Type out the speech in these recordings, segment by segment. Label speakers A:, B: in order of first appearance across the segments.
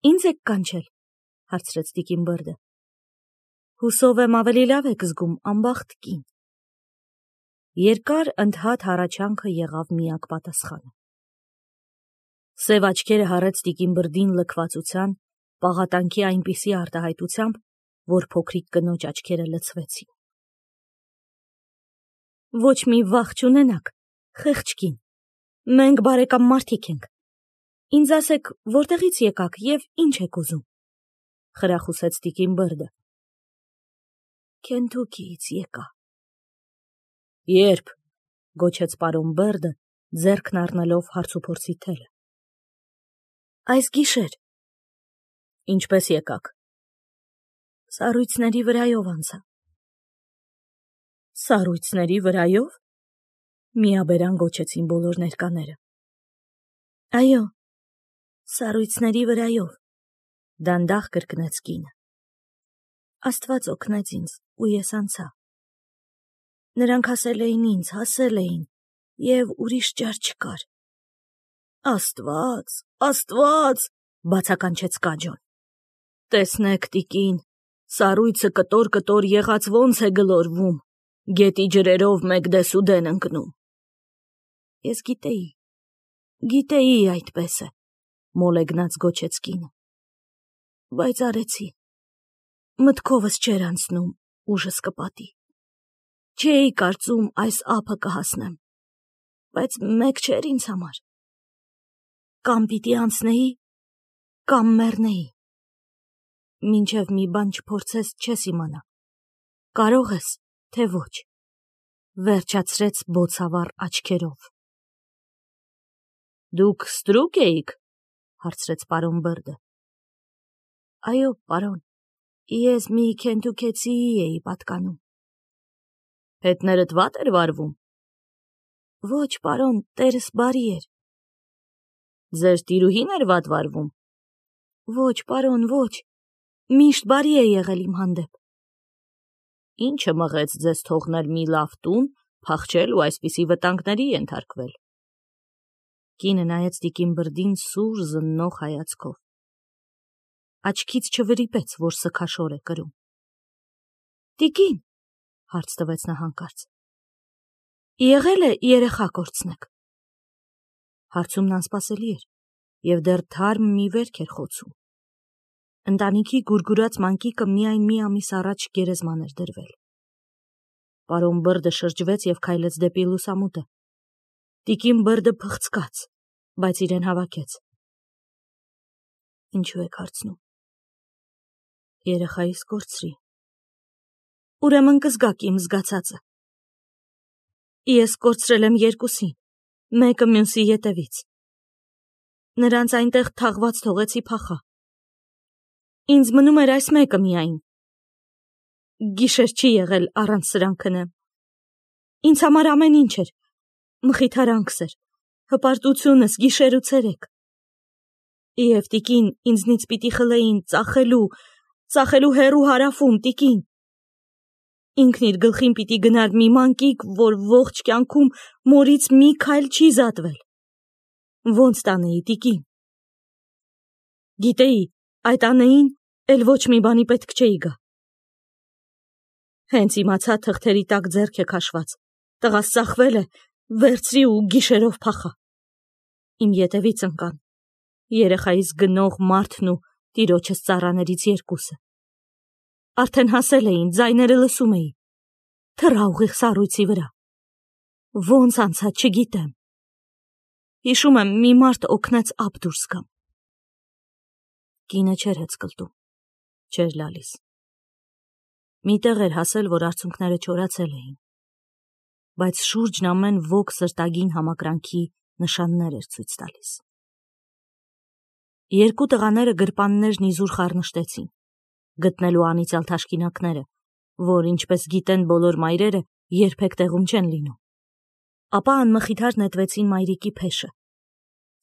A: Ինձ եք կանչել, հարցրեց տիկին Բրդը։ Հուսով եմ ավելի լավ եք զգում անբախտ կին։ Երկար ընդհատ հառաչանքը եղավ միակ պատասխանը։ Սև աչքերը հառեց տիկին Բրդին լքվածության, պաղատանքի այնպիսի արտահայտությամբ, որ փոքրիկ կնոջ աչքերը լցվեցին։ Ոչ մի վախ չունենաք, խեղճ կին, մենք բարեկամ մարդիկ ենք։ Ինձ ասեք, որտեղից եկաք և ինչ եք ուզում, խրախուսեց տիկին Բրդը։ Քենթուքիից եկա։ Երբ, գոչեց պարոն Բրդը, ձեռքն առնելով հարցուփորձի թելը։ Այս գիշեր։ Ինչպես եկաք։ Սառույցների վրայով անցա։ Սառույցների վրայով։ Միաբերան գոչեցին բոլոր ներկաները։ Այո, սառույցների վրայով, դանդաղ կրկնեց կինը։ Աստված օգնեց ինձ, ու ես անցա։ Նրանք հասել էին ինձ, հասել էին, և ուրիշ ճար չկար։ Աստված, Աստված, բացականչեց Կաջոն։ Տեսնեք, տիկին, սառույցը կտոր-կտոր եղած ոնց է գլորվում, գետի ջրերով մեկ դեսուդեն ընկնում։ Ես գիտեի այդպես է, մոլեգնած գոչեց կինը։ Բայց արեցի։ Մտքովս չէր անցնում ուժս կպատի։ Չէի կարծում այս ափը կհասնեմ, բայց մեկ չէր ինձ համար։ Կամ պիտի անցնեի, կամ մեռնեի։ Մինչև մի բան չփորձես, չես իմանա, կարող ես, թե ոչ, վերջացրեց բոցավառ աչքերով։ Դուք ստրուկ էիք, հարցրեց պարոն Բրդը։ Այո, պարոն, ես մի քենթուքեցիի էի պատկանում։ Հետներդ վատ էր վարվում։ Ոչ, պարոն, տերս բարի էր։ Ձեր տիրուհին էր վատ վարվում։ Ոչ, պարոն, ոչ, միշտ բարի է եղել իմ հանդեպ։ Ինչը մղեց ձեզ թողնել մի լավ տուն, փախչել ու այսպիսի վտանգների ենթարկվել։ Կինը նայեց տիկին Բրդին սուր զննող հայացքով։ Աչքից չվրիպեց, որ սգաշոր է կրում։ Տիկին, հարց տվեց նա հանկարծ, եղել է երեխա կորցնեք։ Հարցումն անսպասելի էր, և դեռ թարմ մի վերք էր խոցում։ Ընտանիքի գուրգուրած մանկիկը միայն մի ամիս առաջ գերեզման էր դրվել։ Պարոն Բրդը շրջվեց և քայլեց դեպի լուսամուտը։ Տիկին Բրդը փխցկաց, բայց իրեն հավաքեց։ Ինչու եք հարցնում։ Երեխայիս կորցրի։ Ուրեմն կզգաք իմ զգացածը։ Ես կորցրել եմ երկուսին, մեկը մյուսի ետևից։ Նրանց այնտեղ թաղված թողեցի փախա։ Ինձ մնում էր այս մեկը միայն։ Գիշեր չի եղել առանց սրան քնեմ։ Ինձ համար ամեն ինչ էր, մխիթարանքս էր, հպարտությունս գիշեր ու ցերեկ։ Եվ տիկին ինձնից պիտի խլեին ծախելու հեռու հարավում, տիկին։ Ինքն իր գլխին պիտի գնար մի մանկիկ, որ ողջ կյանքում մորից մի քայլ չի զատվել։ Ոնց տանեի, տիկին։ Գիտեի, այդ անեին էլ ոչ մի բանի պետք չէի գա։ Հենց իմացա թղթերի տակ ձեռք է քաշված, տղաս ծախվել է, վերցրի ու գիշերով փախա։ Իմ ետևից ընկան երեխայիս գնող մարդն ու տիրոջս ծառաներից երկուսը։ Արդեն հասել էին, ձայները լսում էի։ Թռա ուղիղ սառույցի վրա։ Ոնց անցա, չգիտեմ։ Հիշում եմ, մի մարդ օգնեց ափ դուրս գամ։ Կինը չէր հեծկլտում, չէր լալիս։ Մի տեղ էր հասել, որ արցունքները չորացել էին, բայց շուրջն ամեն ոք սրտագին համակրանքի նշաններ էր ցույց տալիս։ Երկու տղաները գրպաններն իզուր խառնշտեցին, գտնելու անիծյալ թաշկինակները, որ, ինչպես գիտեն բոլոր մայրերը, երբեք տեղում չեն լինում։ Ապա անմխիթար նետվեցին մայրիկի փեշը,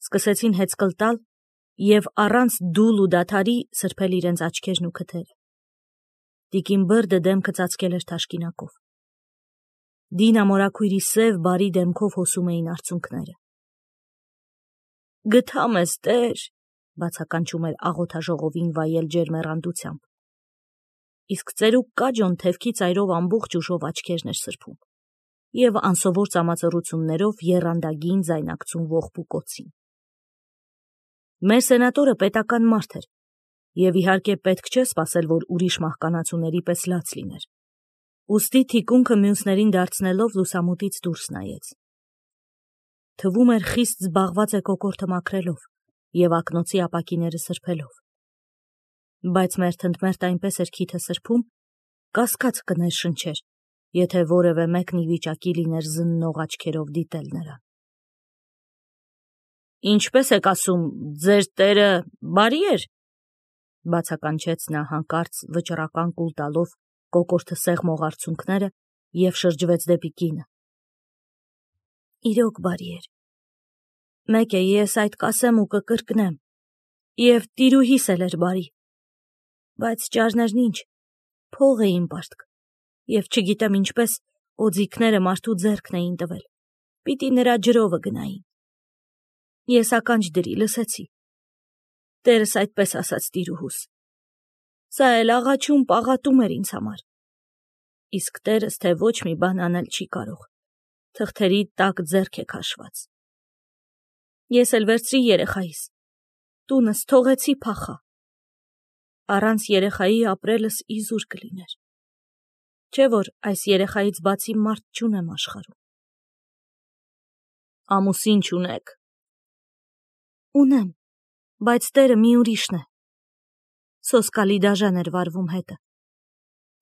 A: սկսեցին հեծկլտալ և առանց դուլ ու դադարի սրբել իրենց աչքերն ու քթերը։ Տիկին Բրդը դեմքը ծածկել էր թաշկինակով։ Դինա մորաքույրի սև բարի դեմքով հոսում էին արցունքները։ Գթա մեզ, Տեր, Բացականչում էր աղոթաժողովին վայել ջերմեռանդությամբ։ Իսկ ծերուկ կաջոն թևքի ծայրով ամբողջ ուժով աչքերն էր սրբում և անսովոր ծամածռություններով եռանդագին ձայնակցում ողբու կոցին։ Մեր սենատորը պետական մարդ էր, և իհարկե պետք չէ սպասել, որ ուրիշ մահկանացուների պես լաց լիներ։ Ուստի թիկունքը մյուսներին դարձնելով լուսամուտից դուրս նայեց։ Թվում էր խիստ զբաղված է կոկորդը մաքրելով և ակնոցի ապակիները սրբելով։ Բայց մերթընդմերթ այնպես էր քիթը սրբում, կասկած կներշնչեր, եթե որևէ մեկն ի վիճակի լիներ զննող աչքերով դիտել նրան։ Ինչպես եք ասում, ձեր տերը բարի էր, բացականչեց նա հանկարծ վճռական կուլ տալով կոկորդը սեղմող արցունքները և շրջվեց դեպի կինը։ Իրոք բարի էր։ Մեկ է ես այդ կասեմ ու կկրկնեմ, և տիրուհիս էլ էր բարի, բայց ճարներն ինչ, փող էին պարտք, և չգիտեմ ինչպես օձիքները մարդու ձեռքն էին տվել, պիտի նրա ջրովը գնային։ Ես ականջ դրի, լսեցի։ Տերս այդպես ասաց տիրուհուս։ Սա էլ աղաչում պաղատում էր ինձ համար։ Իսկ տերս թե ոչ մի բան անել չի կարող, թղթերի տակ ձեռք է քաշված։ Ես էլ վերցրի երեխայիս, տունս թողեցի փախա։ Առանց երեխայի ապրելս իզուր կլիներ։ Չէ՞ որ այս երեխայից բացի մարդ չունեմ աշխարհում։ Ամուսին չունեք։ Ունեմ, բայց տերը մի ուրիշն է։ Սոսկալի դաժան էր վարվում հետը։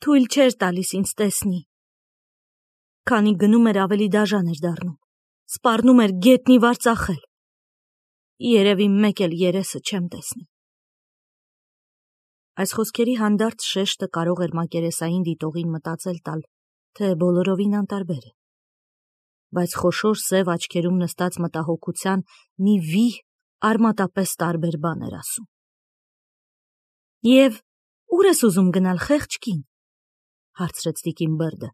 A: Թույլ չէր տալիս ինձ տեսնի։ Քանի գնում էր ավելի դաժան էր դառնում, սպառնում էր գետնի վար ծախել։ Երևի մեկ էլ երեսը չեմ տեսնի։ Այս խոսքերի հանդարտ շեշտը կարող էր մակերեսային դիտողին մտածել տալ, թե բոլորովին անտարբեր է։ Բայց խոշոր սև աչքերում նստած մտահոգության մի վիհ արմատապես տարբեր բան էր ասում։ Եվ ուր ես ուզում գնալ, խեղճ կին, հարցրեց տիկին Բերդը։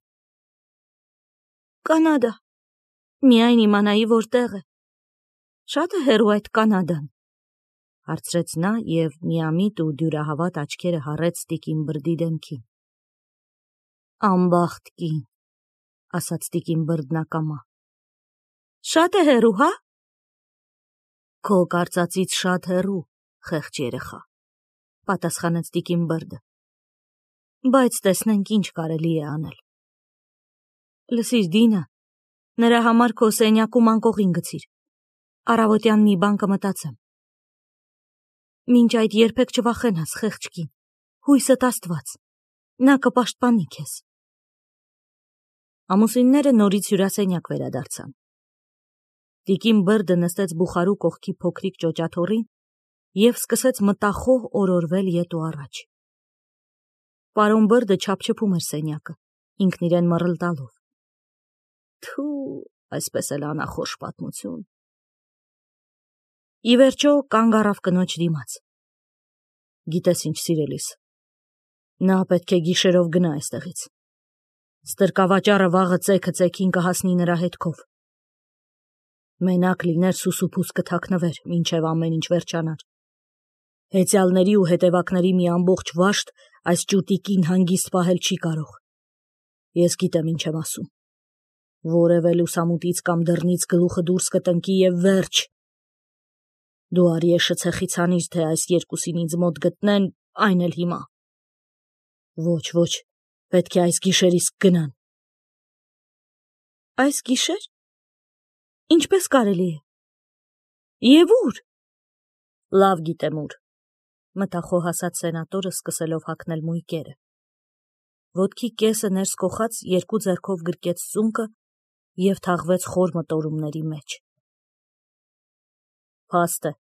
A: Կանադա, միայն իմանայի որտեղ է։ Շատ է հեռու այդ Կանադան, հարցրեց նա և միամիտ ու դյուրահավատ աչքերը հառեց տիկին Բրդի դեմքին։ Անբախտ կին, ասաց տիկին Բրդն ակամա։ Շատ է հեռու, հա։ Քո կարծածից շատ հեռու, խեղճ երեխա, պատասխանեց տիկին Բրդը։ Բայց տեսնենք ինչ կարելի է անել։ Լսիր, Դինա, նրա համար քո սենյակում անկողին գցիր։ Առավոտյան մի բան կմտածեմ։ Մինչ այդ երբեք չվախենաս, խեղճ կին, հույսդ Աստված, նա կպաշտպանի քեզ։ Ամուսինները նորից հյուրասենյակ վերադարձան։ Տիկին Բերդը նստեց բուխարու կողքի փոքրիկ ճոճաթոռին և սկսեց մտախոհ օրորվել ետ ու առաջ։ Պարոն Բերդը չափչփում էր սենյակը, ինքն իրեն մռլ տալով։ Թու, այսպես էլ անախորժ պատմություն։ Ի վերջո կանգ առավ կնոջ դիմաց։ Գիտես ինչ, սիրելիս, նա պետք է գիշերով գնա այստեղից։ Ստրկավաճառը վաղը ծեքը ծեքին կհասնի նրա հետքով։ Մենակ լիներ սուսուփուս կթաքնվեր, մինչև ամեն ինչ վերջանար։ Հեծյալների ու հետևակների մի ամբողջ վաշտ այս ճուտիկին հանգիստ պահել չի կարող։ Ես գիտեմ ինչ եմ ասում։ Որևէ լուսամուտից կամ դռնից գլուխը դուրս կտնկի և վերջ։ Դու արի շցեխից հանիր, թե այս երկուսին ինձ մոտ գտնեն, այն էլ հիմա։ Ոչ, պետք է այս գիշեր իսկ գնան։ Այս գիշեր։ Ինչպես կարելի է։ Եվ ուր։ Լավ գիտեմ ուր, մտախոհ ասաց սենատորը սկսելով հագնել մույկերը։ Ոտքի կեսը ներս կոխած երկու ձեռքով գրկեց ծունկը և թաղվեց խոր մտորումների մեջ։ Փաստ է,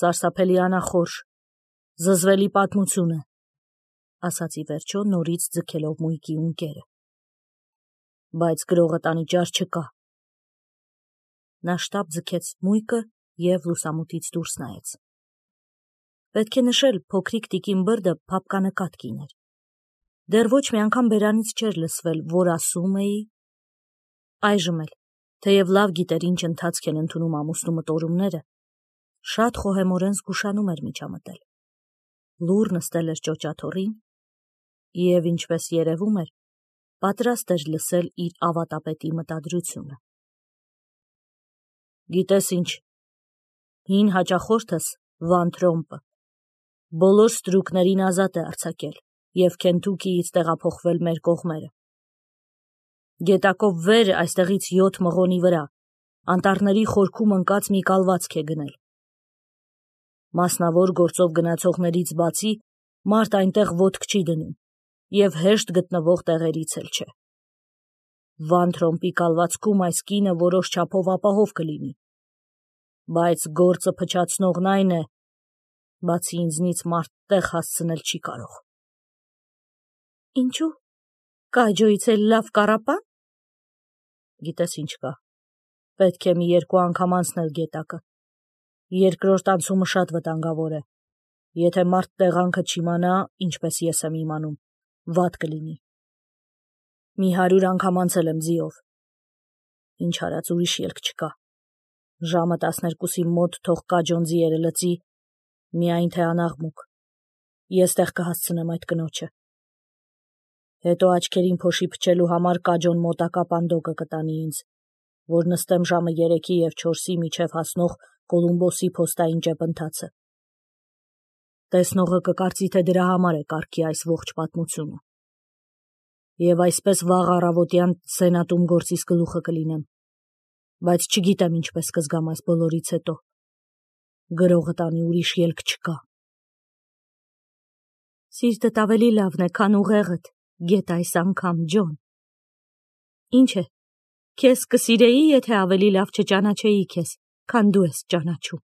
A: սարսափելի անախորժ, զզվելի պատմություն է, ասաց ի վերջո նորից ձգելով մույկի ունկերը։ Բայց գրողդ անիճար չկա։ Նա շտապ ձգեց մույկը և լուսամուտից դուրս նայեց։ Պետք է նշել, փոքրիկ տիկին Բերդը փափկանկատ կին էր։ Դեռ ոչ մի անգամ բերանից չէր լսվել, որ ասում էի։ Այժմ էլ, թեև լավ գիտեր ինչ ընթացք են ընդունում ամուսնու մտորումները, Շատ խոհեմորեն զգուշանում էր միջամտել։ Լուռ նստել էր ճոճաթոռին և, ինչպես երևում էր, պատրաստ էր լսել իր ավատապետի մտադրությունը։ Գիտես ինչ, հին հաճախորդս Վան Թրոմպը բոլոր ստրուկներին ազատ է արձակել և Քենթուքիից տեղափոխվել մեր կողմերը։ Գետակով վեր այստեղից 7 մղոնի վրա անտառների խորքում ընկած մի կալվածք է գնել։ Մասնավոր գործով գնացողներից բացի մարդ այնտեղ ոտք չի դնում և հեշտ գտնվող տեղերից էլ չէ։ Վան Թրոմպի կալվածքում այս կինը որոշ չափով ապահով կլինի, բայց գործը փչացնողն այն է, բացի ինձնից մարդ տեղ հասցնել չի կարող։ Ինչու՞, Կաջոյից էլ լավ կառապան։ Գիտես ինչ կա, պետք է մի 2 անգամ անցնել գետակը։ Երկրորդ անցումը շատ վտանգավոր է։ Եթե մարդ տեղանքը չիմանա, ինչպես ես եմ իմանում, վատ կլինի։ Մի 100 անգամ անցել եմ ձիով։ Ինչ արած ուրիշ ելք չկա։ Ժամը 12-ի մոտ թող Կաջոն ձիերը լծի, միայն թե անաղմուկ։ Ես տեղ կհասցնեմ այդ կնոջը։ Հետո աչքերին փոշի փչելու համար Կաջոն մոտակա պանդոկը կտանի ինձ, որ նստեմ ժամը 3-ի և 4-ի միջև հասնող Կոլումբոսի փոստային ճեպընթացը։ Տեսնողը կկարծի, թե դրա համար է կարգի այս ողջ պատմությունը։ Եվ այսպես վաղ առավոտյան սենատում գործիս գլուխը կլինեմ, բայց չգիտեմ ինչպես կզգամ այս բոլորից հետո։ Գրողը տանի ուրիշ ելք չկա։ Սիրտդ ավելի լավն է, քան ուղեղդ, գետ այս անգամ, Ջոն։ Ինչ է, քեզ կսիրեի, եթե ավելի լավ չճանաչեի քեզ, քան դու ես ճանաչում։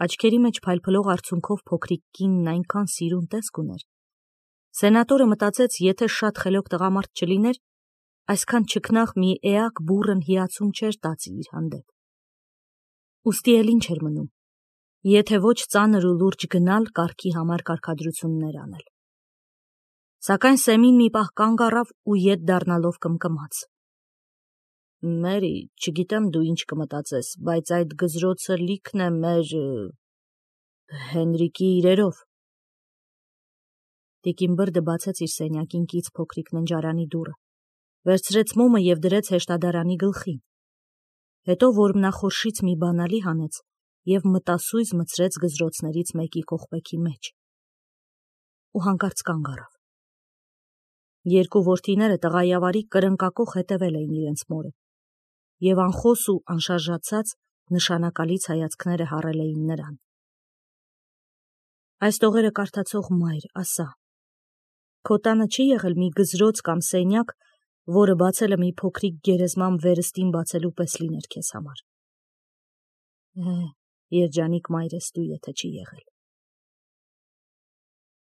A: Աչքերի մեջ փայլփլող արցունքով փոքրիկ կինն այնքան սիրուն տեսք ուներ։ Սենատորը մտածեց, եթե շատ խելոք տղամարդ չլիներ, այսքան չքնաղ մի էակ բուռն հիացում չէր տածի իր հանդեպ։ Ուստի էլ ինչ էր մնում, եթե ոչ ծանր ու լուրջ գնալ կարգի համար կարգադրություններ անել։ Սակայն Սեմին մի պահ կանգ առավ ու ետ դառնալով կմկմաց. Մերի, չգիտեմ դու ինչ կմտածես, բայց այդ գզրոցը լիքն է մեր Հենրիկի իրերով։ Տիկին Բրդը բացեց իր սենյակին կից փոքրիկ ննջարանի դուռը, վերցրեց մոմը և դրեց հեշտադարանի գլխին։ Հետո որմնախորշից մի բանալի հանեց և մտասույզ մցրեց գզրոցներից մեկի կողպեքի մեջ։ Ու հանկարծ կանգ առավ։ Երկու որդիները տղայավարի կրնկակոխ հետևել էին իրենց մորը, և անխոս ու անշարժացած նշանակալից հայացքները հառել էին նրան։ Այս տողերը կարդացող մայր, ասա, քո տանը չի եղել մի գզրոց կամ սենյակ, որը բացելը մի փոքրիկ գերեզման վերստին բացելու պես լիներ քեզ համար։ Երջանիկ մայր ես դու, եթե չի եղել։